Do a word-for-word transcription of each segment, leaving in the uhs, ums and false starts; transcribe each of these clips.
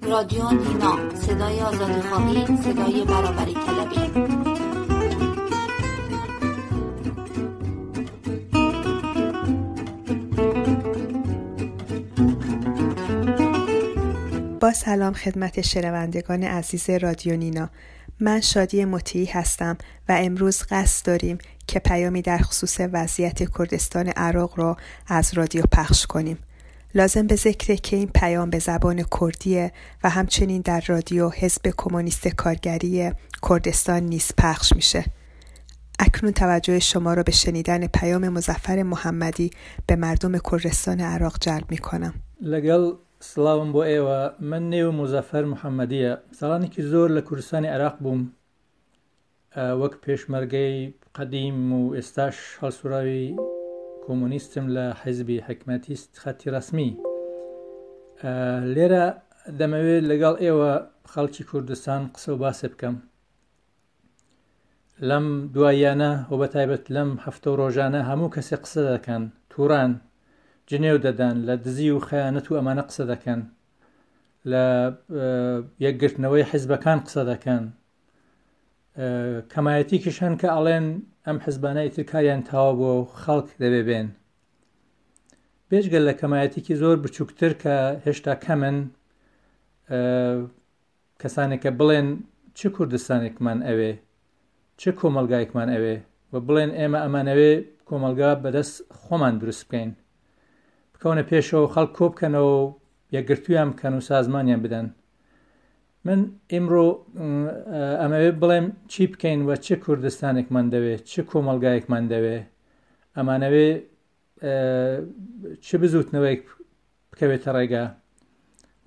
رادیو نینا، صدای آزادی خواهی، صدای برابری طلبی. با سلام خدمت شنوندگان عزیز رادیو نینا، من شادی مطیعی هستم و امروز قصد داریم که پیامی در خصوص وضعیت کردستان عراق را از رادیو پخش کنیم. لازم به ذکره که این پیام به زبان کردیه و همچنین در رادیو حزب کمونیست کارگری کردستان نیز پخش میشه. اکنون توجه شما را به شنیدن پیام مظفر محمدی به مردم کردستان عراق جلب میکنم. لەگەڵ سڵاوم بۆ ئێوە، من نێو مزەفەر محەممەدیە. ساڵانێکی زۆر لە کوردستانی عێراق بووم، وەک پێشمەرگەی قەدیم و ئێستاش هەڵسوراوی کۆمۆنیستم لە حیزبی حکمەتیست خەتی ڕەسمی. لێرە دەمەوێت لەگەڵ ئێوە خەڵکی کوردستان قسە و باسێ بکەم. لەم دواییانە و بە تایبەت لەم هەفتە و ڕۆژانە هەموو کەسێک قسە دەکەن، تووران جنێو دەدەن، لە دزی و خەیانەت و ئەمانە قسە دەکەن، لە یەکگرتنەوەی حیزبەکان قسە دەکەن. کەمایەتیکیش هەن کە ئەڵێن ئەم حیزبانە ئیتر کاریان تەواو بووە و خەڵک دەبێ بێن. بێجگە لە کەمایەتیکی زۆر بچووکتر کە هێشتا کەمن، کەسانێک کە بڵێن چ کوردستانێکمان ئەوێ، چ کۆمەلگایەکمان ئەوێ و بڵێن ئێمە ئەمانەوێ کۆمەلگا بەدەست خۆمان دروست بکەین، بکەونە پێشەوە خەڵک کۆ بکەنەوە و یەکگرتوویان بکەن و سازمانیان بدەن. من ئیمڕۆ ئەمەوێ بڵێم چی بکەین و چ کوردستانێکمان دەوێ، چ کۆمەلگایەکمان دەوێ، ئەمانەوێ چ بزوتنەوەیەک بکەوێتە ڕێگا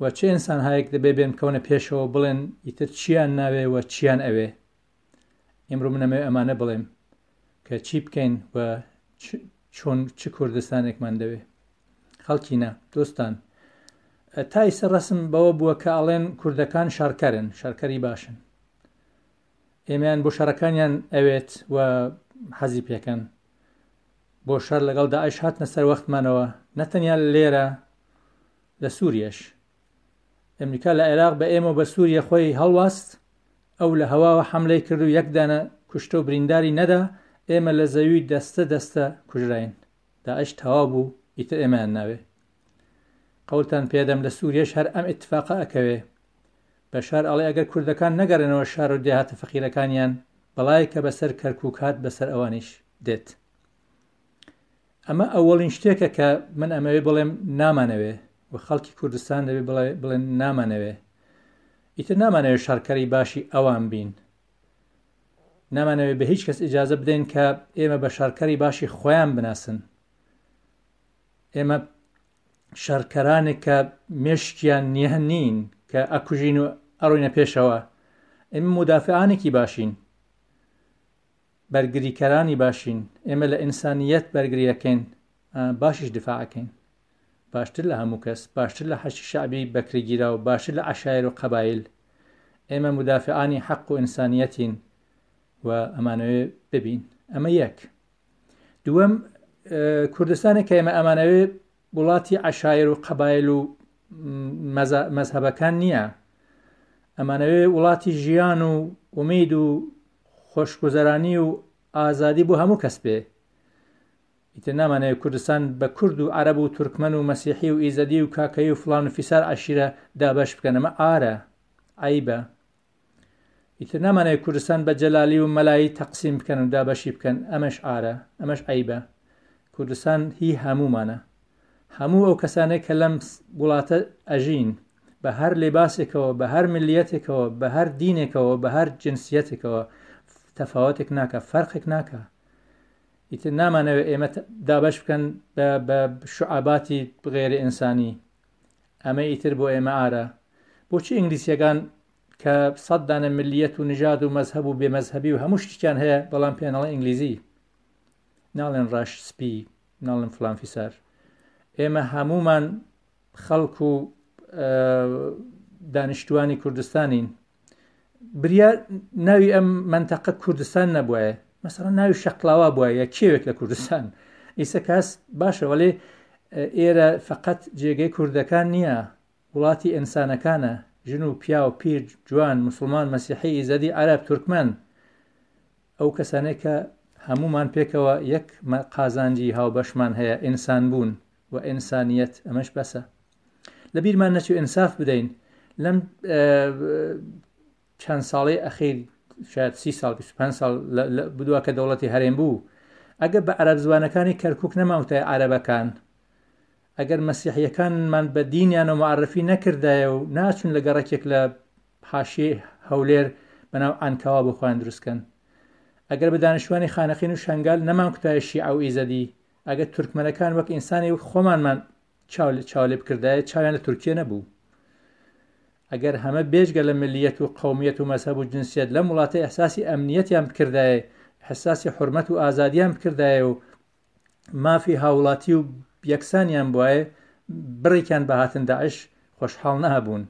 و چ ئینسانهایەک دەبێ بێن بکەونە پێشەوە بڵێن ئیتر چیان ناوێ و چیان ئەوێ. ئیمڕۆ من ئەمەوێ ئەمانە بڵێم کە چی بکەین و چۆن چ کوردستانێکمان دەوێ. خەڵکینە دۆستان، تا ئیستا ڕەسم بەوە بووە کە ئەڵێن کوردەکان شارکەرن، شارکەری باشن، ئێمەیان بۆ شارەکانیان ئەوێت و حەزی پێکەن. بۆ شار لەگەڵ داعش هاتنە سەر وەختمانەوە، نەتەنیا لێرە، لە سووریەش. ئەمریکا لە عێراق بە ئێمە بە سووریە خۆی هەڵواست، ئەو لە هەواوە حەملەی کرد و یەک دانە کوشتە و برینداری نەدا، ئێمە لە زەوی دەستە دەستە کوژراین. داعش تەواو بوو، ئیتر ئێمەیان ناوێ. قەولتان پێدەم لە سووریەش هەر ئەم ئیتفاقە ئەکەوێ. بەشار ئەڵێ ئەگەر کوردەکان نەگەڕێنەوە شار و دێهاتە فەقیرەکانیان، بەڵای کە بەسەر کەرکووک هات بەسەر ئەوانیش دێت. ئەمە ئەوەڵین شتێکە کە من ئەمەوێ بڵێم نامانەوێ و خەڵکی کوردستان دەبێ بڵێن نامانەوێ. ئیتر نامانەوێ شارکەری باشی ئەوان بین، نامانەوێ بە هیچ کەس ئیجازە بدەین کە ئێمە بە شارکەری باشی خۆیان بناسن. ئێمە شارکەرانێک کە مێشکیان نییە نین کە ئەکوژین و ئەڕۆینە پێشەوە. ئێمە مودافعانێکی باشین، بەرگریکەرانی باشین، ئێمە لە ئینسانیەت بەرگریەکەین، باشیش دفاعەکەین، باشتر لە هەموو کەس، باشتر لە حەشی شەعبی بەکرێگیرا و باشتر لە عەشایر و قەبایل. ئێمە مودافعانی حەق و ئینسانیەتین و ئەمانەوێ ببین. ئەمە یەک. دووەم، کوردستانێک کە ئێمە ئەمانەوێ وڵاتی عەشایر و قەبایل و مەزهەبەکان نییە. ئەمانەوێ وڵاتی ژیان و ئومید و خۆشگوزەرانی و ئازادی بۆ هەموو کەس بێ. ئیتر نامانەوێ کوردستان بە کورد و عەرەب و تورکمەن و مەسیحی و ئیزەدی و کاکەیی و فڵان و فیسار عەشیرە دابەش بکەن. ئەمە ئارە، عەیبە. ئیتر نامانەوێ کوردستان بە جەلالی و مەلایی تەقسیم بکەن و دابەشی بکەن. ئەمەش ئارە، ئەمەش عەیبە. کوردستان هی هەموومانە. هەموو ئەو کەسانێک کە لەم وڵاتە ئەژین، بە هەر لێباسێکەوە، بە هەر ملیەتێکەوە، بە هەر دینێکەوە، بە هەر جنسیەتێکەوە، تەفاوتێک ناکە، فەرقێک ناکە. ئیتر نامانەوێ ئێمە دابەش بکەن بە شعاباتی غێری ئینسانی. ئەمە ئیتر بۆ ئێمە ئارە. بۆچی ئینگلیسیەکان کە سەد دانە ملیەت و نژاد و مەزهەب و بێمەزهەبی و هەموو شتێکیان هەیە، بەڵام پێیان ئەڵێن ئینگلیزی، ناڵێن ڕەش سپی، ناڵێن فلان فیسار. ئێمە هەموومان خەڵک و دانیشتوانی کوردستانین. بریا ناوی ئەم منتەقە کوردستان نەبووایە، مەسەڵەن ناوی شەقلاوە بووایە یا کێوێک لە کوردستان. ئیسە کەس باشە، وەلێ ئێرە فقط جێگەی کوردەکان نییە، وڵاتی ئینسانەکانە، ژن و پیاو، پیر، جوان، موسڵمان، مەسیحی، ئیزەدی، عەرەب، تورکمەن، ئەو کەسانەی کە هەمومان پێکەوە یەک قازانجی هاوبەشمان هەیە، ئینسان بوون و ئینسانیەت. ئەمەش بەسە. لەبیرمان نەچوو ئینساف بدەین. لەم چەند ساڵەی ئەخیر، شاید سی ساڵ، بیست و پێنج ساڵ بدووە کە دەوڵەتی هەرێم بوو، ئەگەر بە عەرەب زوانەکانی کەرکووک نەماوتای عەرەبەکان، ئەگەر مەسیحیەکانمان بە دینیان و معرفی نەکردایە و ناچون لە گەڕەکێک لە حاشیەی هەولێر بەناو عەنکاوە بۆ خۆیان دروستکەن، ئەگەر بە دانیشتوانی خانەقین و شەنگال نەمانکوتایە شیعە و ئیزەدی، ئەگەر تورکمەنەکان وەک ئینسانی وەک خۆمانمان چاو لێ بکردایە چاویان لە تورکیە نەبوو. ئەگەر هەمە بێجگە لە ملیەت و قەومیەت و مەزهەب و جنسیەت لەم وڵاتە ئیحساسی ئەمنیەتیان بکردایە، ئیحساسی حرمەت و ئازادیان بکردایە و مافی هاوڵاتی و یەکسانیان بواە، بڕێکیان بە هاتن داعش خۆشحاڵ نەبوون.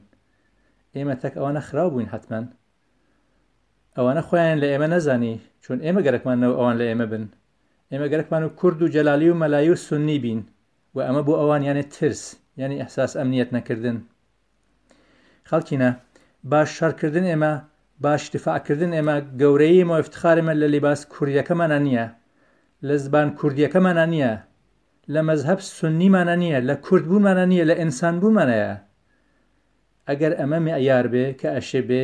ئێمە تەک ئەوانە خراو بووین، حتمما ئەوانە خۆیان لە ئێمە نەزانی، چون ئێمە گەرەکمانەوە ئەوان لە ئێمە بن. ئێمە گەرەکمان و کورد و جەلالی و مەلایی و سوننی بین و ئەمە بۆ ئەوان یانێ ترس، یعنی ئیحساس ئەمنیەت نەکردن. خەڵکینە باش شەڕکردن ئێمە، باش دفاعکردن ئێمە، گەورەیی ئێمە و ئیفتخار ئێمە لە لیباس کوردیەکەمانە نییە، لە زبان کوردیەکەمانە نییە، لە مەزهەب سوننیمانە نییە، لە کورد بوونمانە نییە، لە ئینسان بوونمانەیە. ئەگەر ئەمە معیار بێ کە ئەشێ بێ،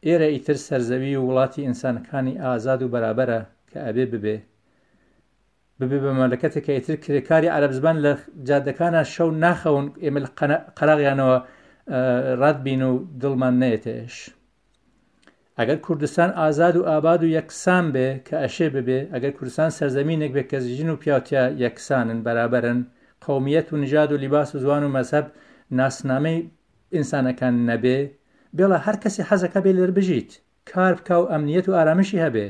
ئێرە ئیتر سەرزەوی و وڵاتی ئینسانەکانی ئازاد و بەرابەرە کە ئەبێ ببێ ببێ بە مەملەکەتێک کە ئیتر کرێکاری عەرەب زبان لە جادەکانە شەو ناخەون، ئێمە لە قەراغیانەوە ڕات بین و دڵمان نەیەتێش. ئەگەر کوردستان ئازاد و ئاباد و یەکسان بێ کە ئەشێ ببێ، ئەگەر کوردستان سەرزەمینێک بێ کە ژن و پیاوتیا یەکسانن، بەرابەرن، قەومیەت و نژاد و لیباس و زوان و مەزهەب ناسنامەی ئینسانەکان نەبێ، بێڵە هەر کەسی حەزەکە بێ لێر بژیت، کار بکا و ئەمنیەت و ئارامشی هەبێ،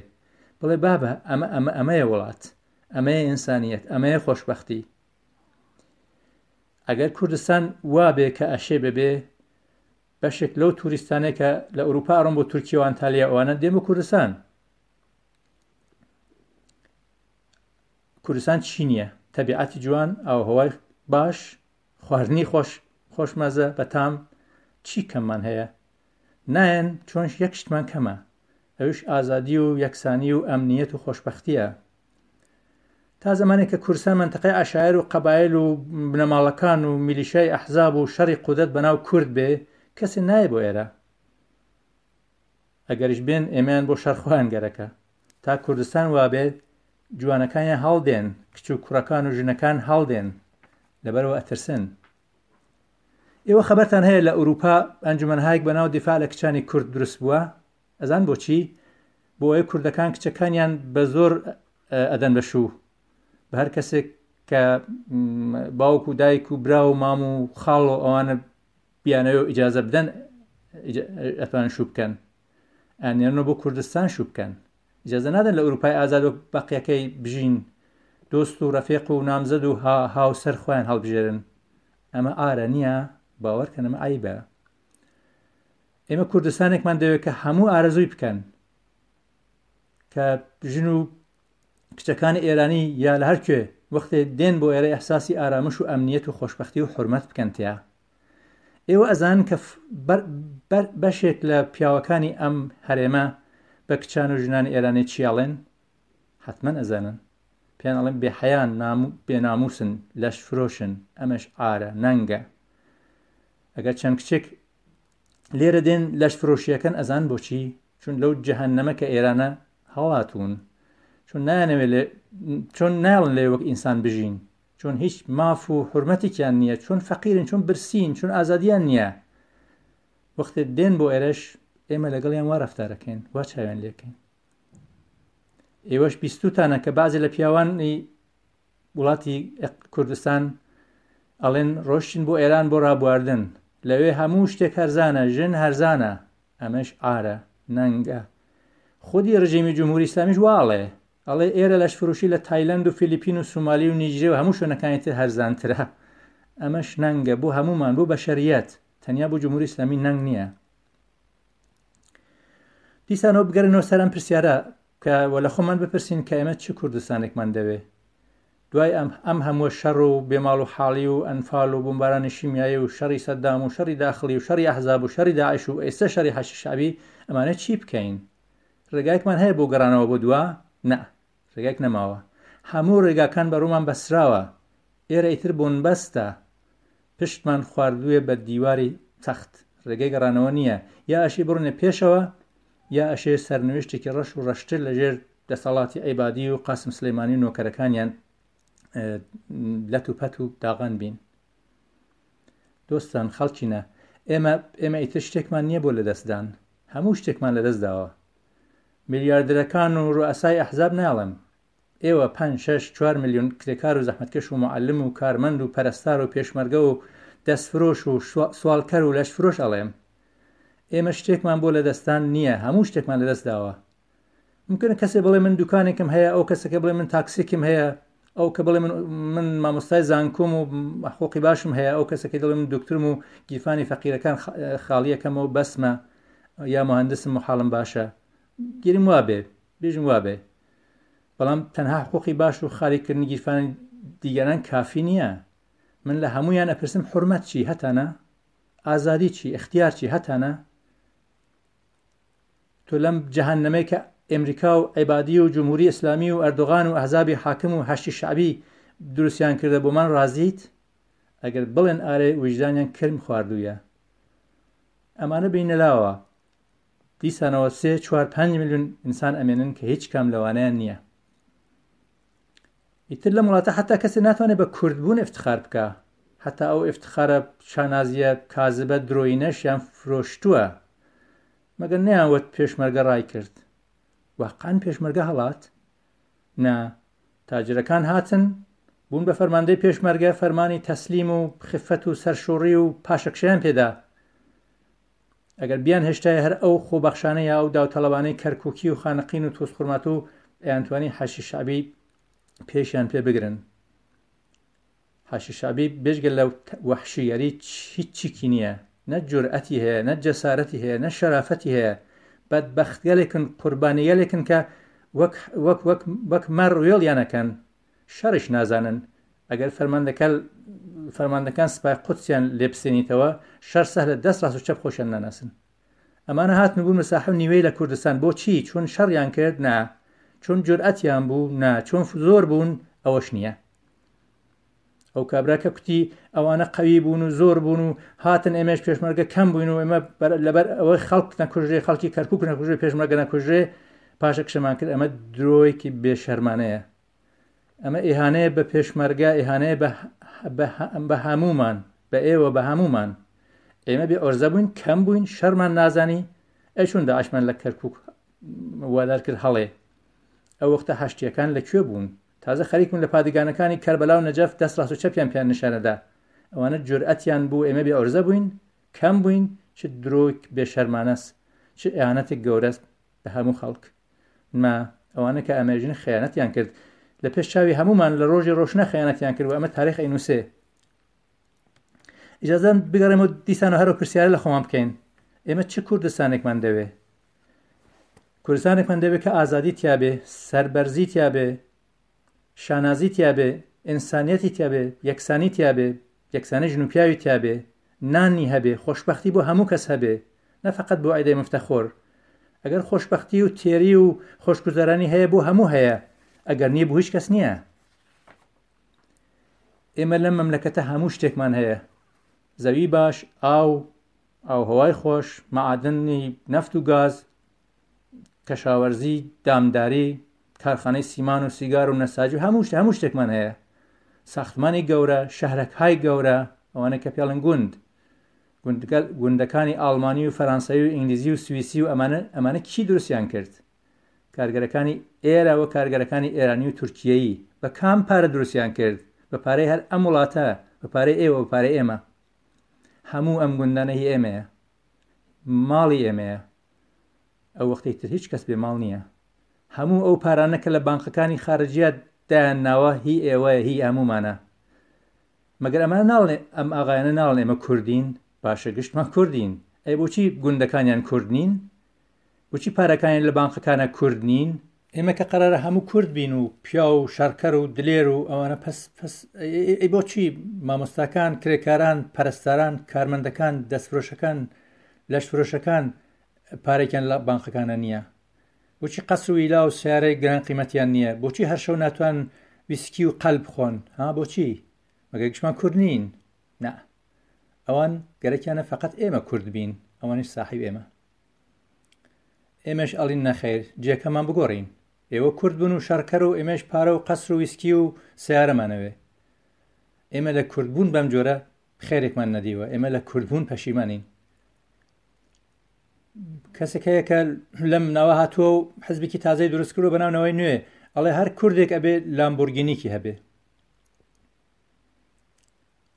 بڵێ بابە ئەمە ئەمە ئەمەیە وڵات، ئەمەیە ئینسانیەت، ئەمەیە خۆشبەختی. ئەگەر کوردستان وا بێ کە ئەشێ ببێ، بەشێک لەو توریستانەی کە لە ئەوروپا ئەڕۆن بۆ تورکیا و ئەنتالیا ئەوانە دێن بۆ کوردستان. کوردستان چی نییە؟ تەبیعەتی جوان، ئاوهەوای باش، خواردنی خۆش خۆشمەزە بەتام، چی کەممان هەیە؟ نایەن چۆن یەک شتمان کەمە، ئەوش ئازادی و یەکسانی و ئەمنیەت و خۆشبەختیە. تا زمانێک کە کوردستان منطقەی عەشایر و قەبایل و بنەماڵەکان و میلیشای ئەحزاب و شەڕی قودرەت بەناو کورد بێ، کەسێ نایە بۆ ئێرە. ئەگەریش بێن ئێمەیان بۆ شەڕ خۆیان گەرەکە. تا کوردستان وابێت جوانەکانیان هەڵدێن، کچ و کوڕەکان و ژنەکان هەڵدێن، لەبەرەوە ئەترسن. ئێوە خەبەرتان هەیە لە ئەوروپا ئەنجومەنهایەک بەناو دیفاع لە کچانی کورد دروست بووە؟ ئەزان بۆچی؟ بۆ ئەوەی کوردەکان کچەکانیان بە زۆر ئەدەن بە شوو بە هەر کەسێک کە باوک و دایک و برا و مام و خاڵ و ئەوانە بیانەوە ئیجازە بدەن ئەتوانن شوو بکەن، ئەنێرنەوە بۆ کوردستان شوو بکەن. ئیجازە نادەن لە ئەوروپای ئازاد و بەقیەکەی بژین، دۆست و ڕەفیق و نامزەد و هاوسەر خۆیان هەڵبژێرن. ئەمە ئارە نییە، باوەڕکەن ئەمە عەیبە. ئێمە کوردستانێکمان دەوێت کە هەموو ئارەزووی بکەن، کە ژن و کچەکانی ئێرانی یا لە هەر کوێ وەختێ دێن بۆ ئێرە ئیحساسی ئارامش و ئەمنیەت و خۆشبەختی و حرمەت بکەن تیا. ئێوە ئەزانن کە بەشێک لە پیاوەکانی ئەم هەرێمە بە کچان و ژنانی ئێرانی چی ئەڵێن؟ حتمما ئەزانن. پێیان ئەڵێن بێحەیان، بێناموسن، لەش فرۆشن. ئەمەش ئارە، نەنگە. ئەگەر چەند کچێک لێرە دێن لەش فرۆشیەکەن، ئەزان بۆچی؟ چون لەو جەهەنەمە کە ئێرانە هەڵاتوون، چون نایانەوێت چۆن نایڵن لێ وەک ئینسان بژین، چون هیچ ماف و حرمەتێکیان نییە، چون فەقیرن، چون برسین، چون ئازادیان نییە. وەختێ دێن بۆ ئێرەش ئێمە لەگەڵیان وا ڕەفتارەکەین، وا چاویان لێکەین. ئێوەش بیستوتانە کە بەعزێ لە پیاوانی وڵاتی کوردستان ئەڵێن ڕۆشتین بۆ ئێران بۆ ڕابواردن، لەوێ هەموو شتێک هەرزانە، ژن هەرزانە. ئەمەش ئارە، نەنگە. خودی ڕژێمی جمهوری ئیسلامیش وا ئەڵێ، ئەڵێ ئێرە لەشفرۆشی لە تایلەند و فیلیپین و سومالی و نیجریە و هەموو شوێنەکانی تر هەرزانترە. ئەمەش نەنگە بۆ هەمومان، بۆ بەشەریەت، تەنیا بۆ جمهوری ئیسلامی نەنگ نییە. دیسانەوە بگەڕێنەوە سەر ئەم پرسیارە کە وە لە خۆمان بپرسین کە ئێمە چ کوردستانێکمان دەوێ. دوای ئەم ئەم هەموو شەڕ و بێماڵ و حاڵی و ئەنفال و بمبارانی شیمیایی و شەڕی سەدام و شەڕی داخلی و شەڕی ئەحزاب و شەڕی داعش و ئێستا شەڕی حەشد شەعبی، ئەمانە چی بکەین؟ ڕێگایەکمان هەیە بۆ گەڕانەوە بۆ دوا؟ نا، ڕێگایەک نەماوە. هەموو ڕێگاکان بەڕوومان بەسراوە. ئێرە ئیتر بۆنبەستە، پشتمان خواردووە بە دیواری تەخت، ڕێگەی گەڕانەوە نییە. یا ئەشێ بڕۆینە پێشەوە یا ئەشێ سەرنوێشتێکی ڕەش و ڕەشتر لەژێر دەسەڵاتی عیبادی و قاسم سلەیمانی و نۆکەرەکانیان لەت و پەت و داغان بین. دۆستان خەڵکینە، ئێمە ئێمە ئیتر شتێکمان نییە بۆ لەدەستدان، هەموو شتێکمان لەدەست داوە. میلیاردەرەکان و ڕوئەسای ئەحزاب ناڵێم، ئێوە پەنج شەش چوار میلیۆن کرێکار و زەحمەتکەش و معەلم و کارمەند و پەرستار و پێشمەرگە و دەستفرۆش و سواڵکەر و لەشفرۆش ئەڵێم، ئێمە شتێکمان بۆ لەدەستان نییە، هەموو شتێکمان لەدەست داوە. ممکنە کەسێ بڵێ من دوکانێکم هەیە، ئەو کەسەکە بڵێ من تاکسێکم هەیە، ئەو کە بڵێ من من مامۆستای زانکۆم و حقوقی باشم هەیە، ئەو کەسەکە دەڵێ من دکتۆرم و گیرفانی فەقیرەکان خاڵیەکەمەوە بەسمە، یا مهندسم و حاڵم باشە. گیرم وابێ، بێژم وابێ، بەڵام تەنها حقوقی باش و خالیکردنی گیرفانی دیگەران کافی نییە. من لە هەمویان ئەپرسم حرمەت چی هەتانە، ئازادی چی، اختیار چی هەتانە؟ تۆ لەم جەهەنەمەی کە ئەمریکا و عیبادی و جمهوری ئیسلامی و ئەردۆغان و ئەحزابی حاکم و حەشدی شەعبی دروستیان کردە بۆمان ڕازیت؟ ئەگەر بڵێن ئارێ ویژدانیان کرم خواردوویە. ئەمانە بینە لاوە، دیسانەوە سێ چوار پەنج میلیۆن ئینسان ئەمێنن کە هیچ کام لەوانەیان نییە. ئیتر لەم وڵاتە حتا کەسێ ناتوانێت بە کوردبوون ئفتخار بکە، حتا ئەو ئفتخارە شانازیە کازبە درۆینەشیان فرۆشتووە. مەگەر نەیانوت پێشمەرگە ڕای کرد؟ واقعا پێشمەرگە هەڵات؟ نا، تاجرەکان هاتن بوون بە فەرماندەی پێشمەرگە، فەرمانی تەسلیم و خفەت و سەرشۆڕی و پاشەکشەیان پێدا. ئەگەر بیان هێشتای هەر ئەو خۆبەخشانە یا ئەو داوتەڵەبانەی کەرکوکی و خانەقین و تۆزخورماتوو ئەیانتوانی حەشی شەعبی پێشیان پێ بگرن. حەشی شەعبی بێجگە لە وەحشیگەری هیچ چیکی نییە، نە جورئەتی هەیە، نە جەسارەتی هەیە، نە شەرافەتی هەیە. بەدبەختگەلێکن، قوربانیگەلێکن کە وەک وەک وەک وەک مەڕ وێڵیانەکەن، شەڕیش نازانن. ئەگەر فەرماندەکە فەرماندەکان سپای قودسیان لێبسێنیتەوە، شەڕ سەهلە، دەست ڕاست و چەپ خۆشیان ناناسن. ئەمانە هاتن بوون مساحە نیوەی لە کوردستان. بۆچی؟ چون شەڕیان کرد؟ نا. چون جورئەتیان بوو؟ نا. چون زۆر بوون؟ ئەوەش نییە. ئەو کابرا کە کوتی ئەوانە قەوی بوون و زۆر بوون و هاتن ئێمەش پێشمەرگە کەم بووین و ئێمە لەبەر ئەوەی خەڵک نەکوژرێ، خەڵکی کەرکوک نەکوژرێ، پێشمەرگە نەکوژرێ، پاشەکشەمان کرد. ئەمە درۆیەکی بێشەرمانەیە. ئەمە ئیهانەیە بە پێشمەرگە، ئیهانەیە بە هەمومان، بە ئێوە، بە هەمومان. ئێمە بێ ئۆرزە بووین، کەم بووین، شەرمان نازانی. ئەی چۆن داعشمان لە کەرکوک وادار کرد هەڵێ؟ ئەو وەختە هەشتیەکان لەکوێ بوون؟ تازە خەریک بوون لە پادگانەکانی کەربەلا و نەجەف دەست ڕاست و چەپیان پیان نیشانەدا. ئەوانە جورئەتیان بوو، ئێمە بێ ئۆرزە بووین، کەم بووین. چ درۆیەک بێشەرمانەس، چ ئیهانەتێک گەورەست بە هەموو خەڵک. ما ئەوانە کە ئەمێژن خیانەتیان کرد لە پێش چاوی هەمومان لە ڕۆژی ڕۆشنە خیانەتیان کرد و ئەمە تاریخ ئەینووسێ. ئیجازەن بگەڕێمەوە دیسانەوە هەرەو پرسیارە لە خۆمان بکەین. ئێمە چ کوردستانێکمان دەوێ؟ کوردستانێکمان دەوێ کە ئازادی تیابێ، سەربەرزی تیابێ، شانازی تیابێ، ئینسانیەتی تیابێ، یەکسانی تیابێ، یەکسانی ژن و پیاوی تیابێ، نانی هەبێ، خۆشبەختی بۆ هەموو کەس هەبێ، نە فقط بۆ عیدەی مفتەخۆر. ئەگەر خۆشبەختی و تێری و خۆشگوزەرانی هەیە بۆ هەموو هەیە، ئەگەر نییە بۆ هیچ کەس نییە. ئێمە لەم مەملەکەتە هەموو شتێکمان هەیە، زەوی باش، ئاو، ئاوهەوای خۆش، معادنی نەفت و گاز، کەشاوەرزی، دامداری، کارخانەی سیمان و سیگار و نەساجی و هەموو هەموو شتێکمان هەیە. ساختمانی گەورە، شەهرەکهای گەورە، ئەوانە کە پێڵن گوند، گوندەکانی ئاڵمانی و فەرەنسایی و ئینگلیزی و سوئیسی و ئەمانە ئەمانە کی دروستیان کرد؟ کارگەرەکانی ئێرە و کارگەرەکانی ئێرانی و تورکیایی بە کام پارە دروستیان کرد؟ بە پارەی هەر ئەم وڵاتە، بە پارەی ئێوە، بە پارەی ئێمە. هەموو ئەم گوندانە هی ئێمەیە، ماڵی ئێمەیە. ئەو وەختەی تر هیچ کەس بێ ماڵ نییە. هەموو ئەو پارانە کە لە بانقەکانی خارجیات دایان ناوە هی ئێوەیە، هی هەمومانە. مەگەر ئەمانە ناڵێ، ئەم ئاغایانە ناڵێن ئێمە کوردین؟ باشە گشتمان کوردین. ئەی بۆچی گوندەکانیان کورد نین؟ بۆچی پارەکانیان لە بانقەکانە کورد نین؟ ئێمە کە قەرارە هەموو کورد بین و پیاو و شەڕکەر و دلێر و ئەوانە، پەس پەس ئەی بۆچی مامۆستاکان، کرێکاران، پەرستاران، کارمەندەکان، دەستفرۆشەکان، لەشفرۆشەکان پارێکیان لە بانقەکانە نییە؟ بۆچی قەسر و ویلا و سیارەی گران قیمەتیان نییە؟ بۆچی هەر شەو ناتوان ویسکی و قەلب بخۆن؟ ها بۆچی؟ مەگەر گشتمان کورد نین؟ نا، ئەوان گەرەکیانە فقط ئێمە کورد بین، ئەوانیش ساحیب ئێمە. ئێمەش ئەڵین نەخێر، جێکەمان بگۆڕین. ئێوە کورد بوون و شەڕکەر و ئێمەش پارە و قەسر و ویسکی و سیارەمانەوێ. ئێمە لە کوردبوون بەم جۆرە خێرێکمان نەدیوە، ئێمە لە کوردبوون پەشیمانین. کەسێک هەیە کە لەم ناوە هاتووە و حزبێکی تازەی دروست کردووە بەناو نەوەی نوێ، ئەڵێ هەر کوردێک ئەبێ لامبۆرگینیکی هەبێ.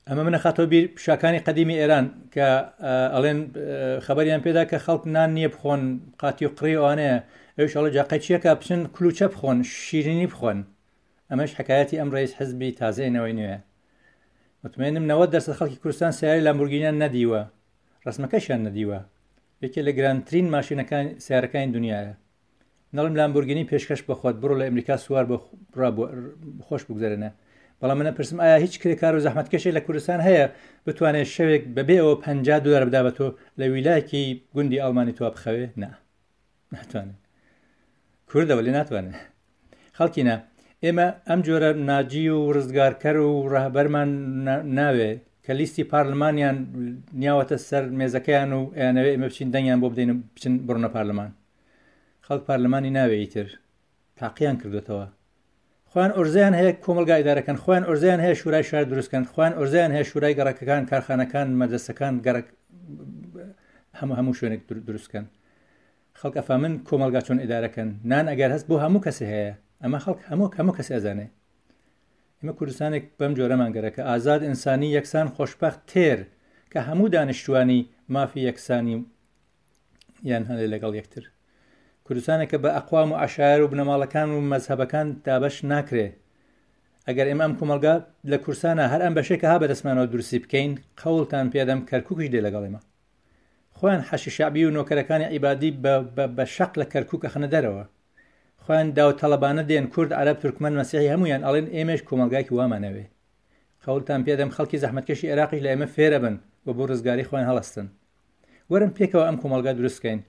ئەمە منە خاتەوە بیر شاکانی قەدیمی ئێران کە ئەڵێن خەبەریان پێدا کە خەڵک نان نییە بخۆن، قاتی و قڕی ئەوانەیە، ئەویش ئەڵێ جاقەی چیەکە بچن کلوچە بخۆن، شیرینی بخۆن. ئەمەش حکایەتی ئەم ڕئیس حزبی تازەی نەوەی نوێ. مطمئنم نەوەد دەرسەد خەڵکی کوردستان سیارەی لامبۆرگینیان نەدیوە، ڕسمەکەشیان نەدیوە. یەکێ لە گرانترین ماشینەکان سیارەکانی دنیاە. نەڵم لامبۆرگینی پێشکەش بەخۆت، بڕۆ لە ئەمریکا سوار بە خۆش بگوزەرێنە. بەڵام منە پرسم ئایا هیچ کرێکار و زەحمەتکێشێک لە کوردستان هەیە بتوانێت شەوێک بەبێ ئەوە پەنجا دۆلار بدا بە تۆ لە ویلایەکی گوندی ئەڵمانی تۆ بخەوێ؟ نا، ناتوانێت. کوردەوە لێ ناتوانێت. خەڵکینە ئێمە ئەم جۆرە ناجی و ڕزگارکەر و ڕەهبەرمان ناوێ کە لیستی پارلمانیان نیاوەتە سەر مێزەکەیان و ئەیانەوێ ئێمە بچین دەنگیان بۆ بدەین و بچن بڕۆنە پارلمان. خەڵک پارلمانی ناوێ ئیتر، تاقییان کردوێتەوە. خۆیان ئۆرزیان هەیە کۆمەلگا ئیدارەکەن، خۆیان ئۆرزیان هەیە شورای شار دروستکەن، خۆیان ئۆرزیان هەیە شورای گەڕەکەکان، کارخانەکان، مەدرەسەکان، گەڕەک هەموو هەموو شوێنێک دروستکەن. خەڵک ئەفامن کۆمەلگا چۆن ئیدارەکەن. نان ئەگەر هەست بۆ هەموو کەسێ هەیە، ئەمە خەڵک هەموو هەموو کەسێ ئەزانێ. ئێمە کوردستانێک بەم جۆرەمان گەرەکە، ئازاد، ئینسانی، یەکسان، خۆشبەخت، تێر، کە هەموو دانیشتوانی مافی یەکسانی یان هەندێک لەگەڵ یەکتر. کوردستانێکە بە ئەقوام و عەشایەر و بنەماڵەکان و مەزهەبەکان دابەش ناکرێ. ئەگەر ئێمە ئەم کۆمەلگا لە کوردستانە هەر ئەم بەشێکە ها بەدەستمانەوە دروستی بکەین، قەوڵتان پێدەم کەرکووکیش دێ لەگەڵ ئێمە. خۆیان حەشی شەعبی و نۆکەرەکانی عیبادی بە شەق لە کەرکووک ئەخەنە دەرەوە. خۆیان داوتەڵەبانە دێن، کورد، عەرەب، تورکمەن، مەسیحی هەمویان ئەڵێن ئێمەش کۆمەلگایەکی وامانەوێ. قەوڵتان پێدەم خەڵکی زەحمەتکێشی عێراقیش لە ئێمە فێرە بن و بۆ ڕزگاری خۆیان هەڵەستن. وەرن پێکەوە ئەم کۆمەلگا دروست بکەین.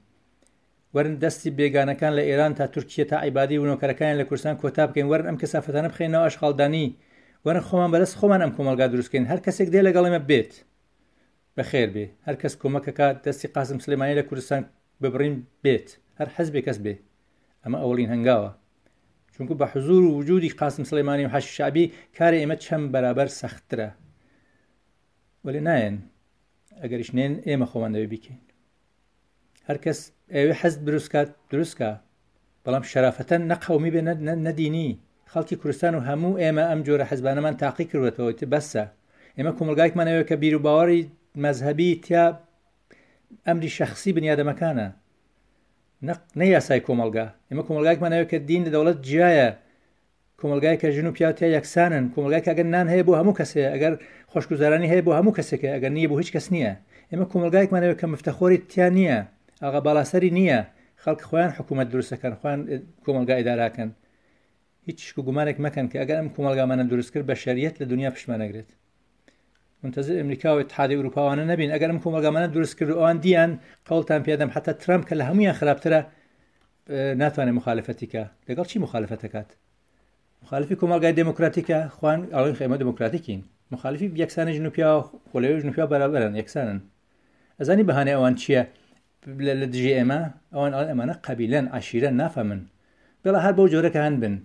وەرن دەستی بێگانەکان لە ئێران تا تورکیە تا عیبادی و نۆکەرەکانیان لە کوردستان کۆتا بکەین. وەرن ئەم کەسافەتانە بخەینەوە ئەشغالدانی. وەرن خۆمان بەدەست خۆمان ئەم کۆمەلگا دروست بکەین. هەر کەسێک دێ لەگەڵ ئێمە بێت بەخێر بێ. هەر کەس کۆمەکەکات دەستی قاسم سلێمانی لە کوردستان ببڕین بێت، هەر حەزبێ کەس بێ. ئەمە ئەوڵین هەنگاوە، چونکو بە حزور و وجودی قاسم سلێمانی و حەشی شەعبی کاری ئێمە چەند بەرابەر سەختترە. وەلێ نایەن، ئەگەریش نێن ئێمە خۆمان دەبێ بیکەین. هەر کەس ئەوێ حەز دروستکات دروستکە، بەڵام شەرافەتەن نە قەومی بێ نە دینی. خەڵکی کوردستان و هەموو ئێمە ئەم جۆرە حەزبانەمان تاقی کردوێتەوە، ئیتر بەسە. ئێمە کۆمەلگایەکمان ئەوێ کە بیر و باوەڕی مەزهەبی تیا ئەمری شەخسی بنیادەمەکانە، نە یاسای کۆمەلگا. ئێمە کۆمەلگایەکمان ئەوێ کە دین لە دەوڵەت جیایە، کۆمەلگای کە ژن و پیاو تیا یەکسانن، کۆمەلگای کە ئەگەر نان هەیە بۆ هەموو کەسێ، ئەگەر خۆشگوزارانی هەیە بۆ هەموو کەسێکە، ئەگەر نییە بۆ هیچ کەس نییە. ئێمە کۆمەلگایەکمان ئەوێ کە مفتەخۆری تیا نییە، ئاغا باڵاسەری نییە، خەڵک خۆیان حکوومەت دروستەکەن، خۆیان کۆمەلگا ئیداراکەن. هیچ شک و گومانێک مەکەن کە ئەگەر ئەم کۆمەلگامانە دروست کرد بەشەریەت لە دنیا پشتمان نەگرێت. منتظر ئەمریکا و اتحادی ئەوروپاوانە نەبین. ئەگەر ئەم کۆمەلگامانە دروست کرد و ئەوان دیان، قەوڵتان پێدەم حتا ترامپ کە لە هەمویان خراپترە ناتوانێت مخالفەتی کە. لەگەڵ چی مخالفەتەکات؟ مخالفی کۆمەلگای دێموکراتیکە، خۆیان ئەڵێن ئێمە دێموکراتیکین. مخالفی یەکسانی ژن و پیاو، خۆ لەوێ ژن و پیاو بەرابەرن، یەکسانن. ئەزانی بەهانەی ئەوان چییە لە دژی ئێمە؟ ئەوان ئەڵێن ئەمانە قەبیلەن، عەشیرەن، نافەمن. بەڵا هەر بەو جۆرەکە هەن بن.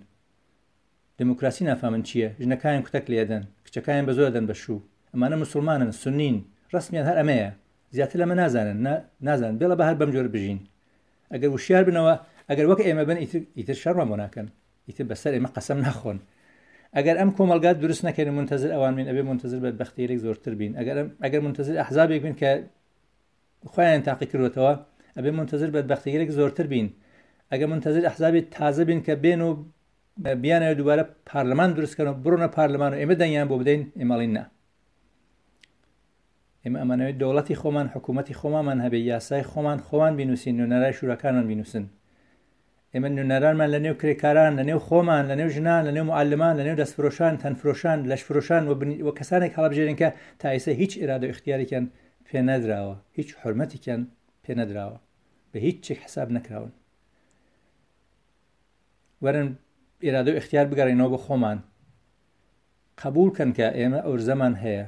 دێموکراسی نافامن چییە؟ ژنەکانیان کوتەک لێدەن، کچەکانیان بە زۆر دەن بە شوو. ئەمانە مسلمانن، سنین، ڕسمیان هەر ئەمەیە، زیاتر لەمە نازانن، نازانن. بێڵە بە هەر بەم جۆرە بژین. ئەگەر وشیار بنەوە، ئەگەر وەک ئێمە بن، ئیتر شەڕمان بۆ ناکەن، ئیتر بەسەر ئێمە قەسەم ناخۆن. ئەگەر ئەم کۆمەلگا دروست نەکەین و منتەزر ئەوان بین، ئەبێ منتەزر بەدبەختیەک زۆرتر بین. ئەگەر ئەگەر منتەزر ئەحزابێک بین کە خۆیان تاقی کردوێتەوە، ئەبێ منتەزر بەدبەختیەک زۆرتر بین. ئەگەر منتەزر ئەحزابی تازە بین کە بێن و بیانەوە دووبارە پارلمان دروستکەن و بڕۆنە پارلمان و ئێمە دەنگیان بۆ بدەین، ئێمە ئەڵێین نا. ئێمە ئەمانەوێت دەوڵەتی خۆمان، حکوومەتی خۆمانمان هەبێ، یاسای خۆمان خۆمان بینوسین، نوێنەرای شوراکانمان بینوسن. ئێمە نوێنەرانمان لە نێو کرێکاران، لە نێو خۆمان، لە نێو ژنان، لە نێو معلمان، لە نێو دەستفرۆشان، تەنفرۆشان، لەشفرۆشان و کەسانێک هەڵبژێرین کە تا ئێستا هیچ ئیرادە و ئیختیارێکیان پێ نەدراوە، هیچ حرمەتێکیان پێ نەدراوە، بە هیچ چێک حساب نەکراون. وەرن ئیرادە و ئیختیار بگەڕێنەوە بۆ خۆمان، قبول کەن کە ئێمە ئەورزەمان هەیە،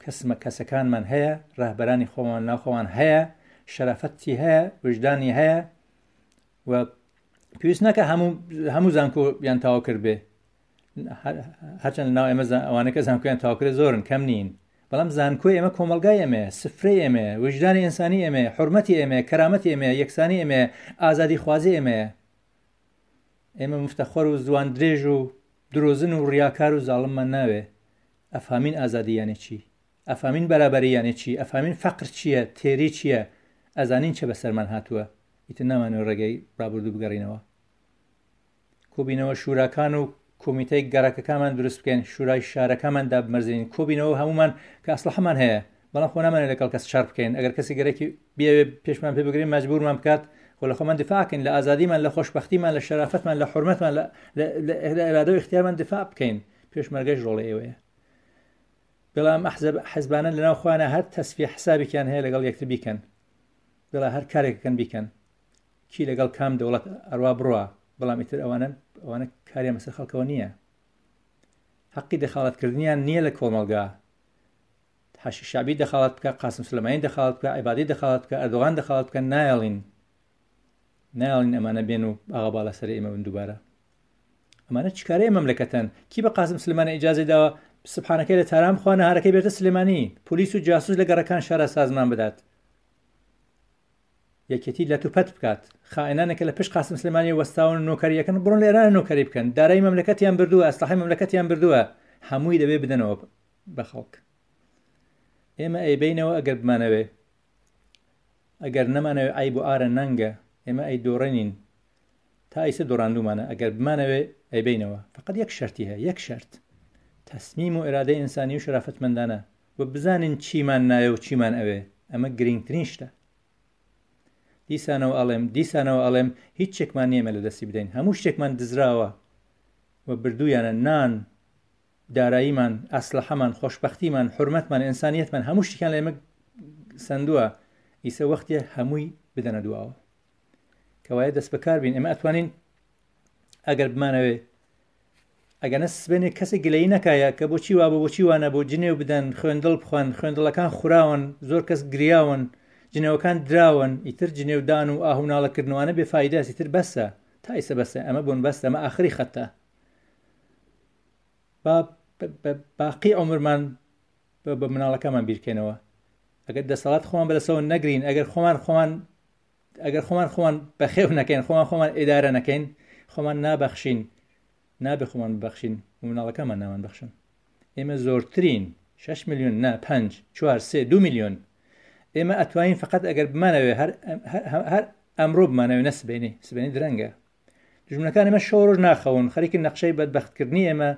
کەسمە کەسەکانمان هەیە، ڕەهبەرانی خۆمان ناو خۆمان هەیە، شەرافەتی هەیە، وجدانی هەیە و پێویست ناکە هەموو هەموو زانکۆیان تەواو کرد بێ. هەرچەند لەناو ئێمە ئەوانە کە زانکۆیان تەواو کرد زۆرن، کەم نین، بەڵام زانکۆی ئێمە کۆمەڵگای ئێمەیە، سفرەی ئێمەیە، وجدانی ئینسانی ئێمەیە، حرمەتی ئێمەیە، کەرامەتی ئێمەیە، یەکسانی ئێمەیە، ئازادی خوازی ئێمەیە. ئێمە مفتەخۆر و زوان درێژ و درۆزن و ڕیاکار و زاڵممان ناوێ. ئەفهامین ئازادی یانێ چی، ئەفهامین بەرابەری یانێ چی، ئەفهامین فەقر چییە، تێری چییە، ئەزانین چه بەسەرمان هاتووە. ئیتر نامانەوە ڕێگەی ڕابردوو بگەڕینەوە. کۆبینەوە شوراکان و کۆمیتەی گەڕەکەکانمان دروست بکەین، شورای شارەکانمان دابمەرزێنین، کۆبینەوە هەمومان کە ئەسڵەحەمان هەیە، بەڵام خۆ نامانێت لەگەڵ کەس شەڕ بکەین. ئەگەر کەسی گەرەکی بیەوێ پێشمان پێ بگرین مەجبورمان بکات، خۆ لە خۆمان دیفاع بکەین، لە ئازادیمان، لە خۆشبەختیمان، لە شەرافەتمان، لە حرمەتمان، لە ئیرادە و ئیختیارمان دیفاع بکەین. پێشمەرگەش ڕۆڵی ئێوەیە. بەڵام حەزبانە لەناو خۆیانە هەر تەسفیە حسابێکیان هەیە لەگەڵ یەکتر بیکەن، بەڵام هەر کارێکەکەن بیکەن، کی لەگەڵ کام دەوڵەت ئەڕوا بڕوا، بەڵام ئیتر ئەوانە ئەوانە کاریان بەسەر خەڵکەوە نییە، حەقی دەخاڵەتکردنیان نییە لە کۆمەڵگا. حەشی شەعبی دەخاڵەت بکە، قاسم سولەیمانی دەخاڵەت بکە، عیبادی دەخاڵەت بکە، ئەردۆغان دەخاڵەت بکە، نایەڵین نایەڵین ئەمانە بێن و ئاغا باڵا سەر ئێمە بن دووبارە. ئەمانە چ کارەیە مەملەکەتەن؟ کی بە قاسم سولەیمانی ئیجازەی داوە سبحانەکەی لە تاران بخوا، نەهارەکەی بێتە سلێمانی، پۆلیس و جاسوس لە گەڕەکان شارە سازمان بدات، یەکێتی لە توپەت بکات، خائینانێکە لە پشت قاسم سلێمانی وەستاون و نۆکەریەکەن بڕۆن لە ئێران نۆکەری بکەن، دارایی مەملەکەتیان بردووە، ئەسلحەی مەملەکەتیان بردووە، هەمووی دەبێ بدەنەوە بە خەڵک. ئێمە ئەیبەینەوە ئەگەر بمانەوێ، ئەگەر نەمانەوێ عەیب و ئارە نەنگە، ئێمە ئەی دۆڕێنین، تا ئیسە دۆڕاندوومانە، ئەگەر بمانەوێ ئەیبەینەوە. فقط یەک شەرتی هەیە، یەک شەرت، تەسمیم و ئێرادەی ئینسانی و شەرافەتمەندانە و بزانین چیمان ناوێ و چیمان ئەوێ. ئەمە گرنگترین شتە. دیسانەوە ئەڵێم، دیسانەوە ئەڵێم، هیچ شتێکمان نییە لە دەستی بدەین، هەموو شتێکمان دزراوە و بردوویانە، نان، داراییمان، ئەسلحەمان، خۆشبەختیمان، حرمەتمان، ئینسانیەتمان، هەموو شتێکیان لە ئێمە سەندووە. ئیسە وەختیە هەمووی بدەنە دواوە. کەوایە دەست بەکار بین. ئێمە ئەتوانین ئەگەر بمانەوێ، ئەگەر نە سبێنێ کەسێک گلەیی نەکایە کە بۆچی وابوو بۆچی وانە بۆ، جنێو بدەن، خوێندڵ بخوەن، خوێندڵەکان خوراون، زۆر کەس گریاون، جنێوەکان دراون، ئیتر جنێودان و ئاه و ناڵەکردنەوانە بێفایدەست، ئیتر بەسە، تا ئیسە بەسە، ئەمە بۆن بەسە، ئەمە ئاخری خەتە. با باقی عمرمان بە مناڵەکەمان بیرکەینەوە. ئەگەر دەسەڵات خۆمان بەدەسەوە نەگرین، ئەگەر خۆمان خۆمان ئەگەر خۆمان خۆمان بەخێو نەکەین، خۆمان خۆمان ئیدارە نەکەین، خۆمان نابەخشین، نابێ خۆمان ببەخشین و مناڵەکەمان نامان بەخشن. ئێمە زۆرترین شەش میلیۆن نا پەنج چوار سێ دوو میلیۆن ئێمە ئەتوانین فقط ئەگەر بمانەوێ هەر هەر ئەمڕۆ بمانەوێ، نە سبەینێ، سبەینێ درەنگە. دوژمنەکان ئێمە شەو ڕۆژ ناخەون، خەریکن نەخشەی بەدبەختکردنی ئێمە،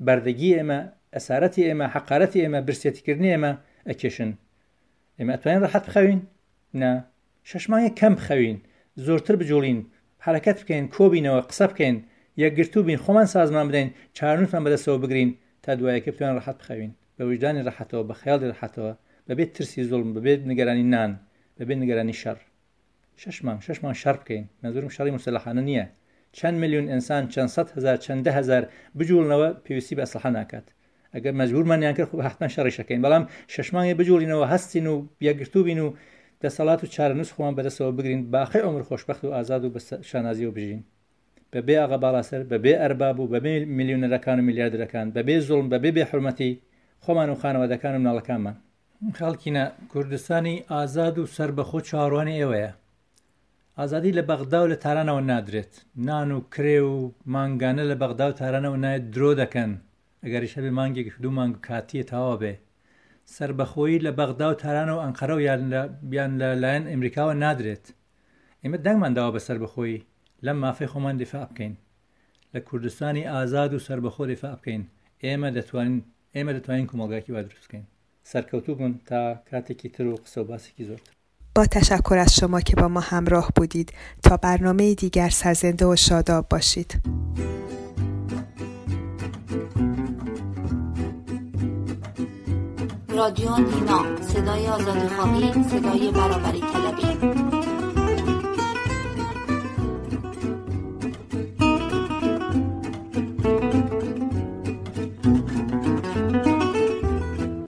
بەردەگی ئێمە، ئەسارەتی ئێمە، حەقارەتی ئێمە، برسێتیکردنی ئێمە ئەکێشن. ئێمە ئەتوانین ڕەحەت بخەوین؟ نا. شەش مانگێک کەم بخەوین، زۆرتر بجوڵین، حرەکەت بکەین، کۆبینەوە، قسە بکەین، یەکگرتوو بین، خۆمان سازمان بدەین، چارەنووسمان بەدەستەوە بگرین تا دوایەکە بتوانین ڕەحەت بخەوین، بە وجدانی ڕەحەتەوە، بە خەیاڵی ڕەحەتەوە، بەبێ ترسی زوڵم، بەبێ نیگەرانی نان، بەبێ نیگەرانی شەڕ. شەش مانگ شەش مانگ شەڕ بکەین، مەنزورم شەڕی موسەلەحانە نییە. چەند میلیۆن ئینسان، چەند سەد هەزار، چەند دە هەزار بجوڵنەوە پێویستی بە ئەسلحە ناکات. ئەگەر مەجبورمانیان کرد خۆ حتمما شەڕیش ئەکەین، بەڵام شەش مانگێ بجوڵینەوە، هەستین و یەکگرتوو بین و دەسەڵات و چارەنووس خۆمان بەدەستەوە بگرین، باقی عومر خۆشبەخت و ئازاد و بە شانازیەوە بژین، بەبێ ئاغا باڵاسەر، بەبێ ئەرباب و بەبێ میلیۆنەرەکان و میلیاردەرەکان، بەبێ زوڵم، بەبێ بێحورمەتی خۆمان و خانەوادەکان و مناڵەکانمان. خەڵکینە، کوردستانی ئازاد و سەربەخۆ چاوەڕوانی ئێوەیە. ئازادی لە بەغدا و لە تارانەوە نادرێت. نان و کرێ و مانگانە لە بەغدا و تارانەوە نایەت، درۆ دەکەن. ئەگەریش هەبێ مانگێک دوو مانگ کاتیە تەواو بێ. سەربەخۆیی لە بەغدا و تارانە و ئەنقەرە و یان لە لایەن ئەمریکاوە نادرێت. ئێمە دەنگمان داوە بە سەربەخۆیی، لەم مافەی خۆمان دیفاع بکەین، لە کوردستانی ئازاد و سەربەخۆ دیفاع بکەین. ئێمە دەتوانین ئێمە دەتوانین کۆمەڵگاکی وا دروست بکەین. سەرکەوتوو بن تا کاتێکی تر و قسە و باسێکی زۆرتر. با تشکر از شما که با ما همراه بودید. تا برنامه دیگر سرزنده و شاداب باشید. رادیو نینا، صدای آزادیخواهی، صدای برابری طلبی.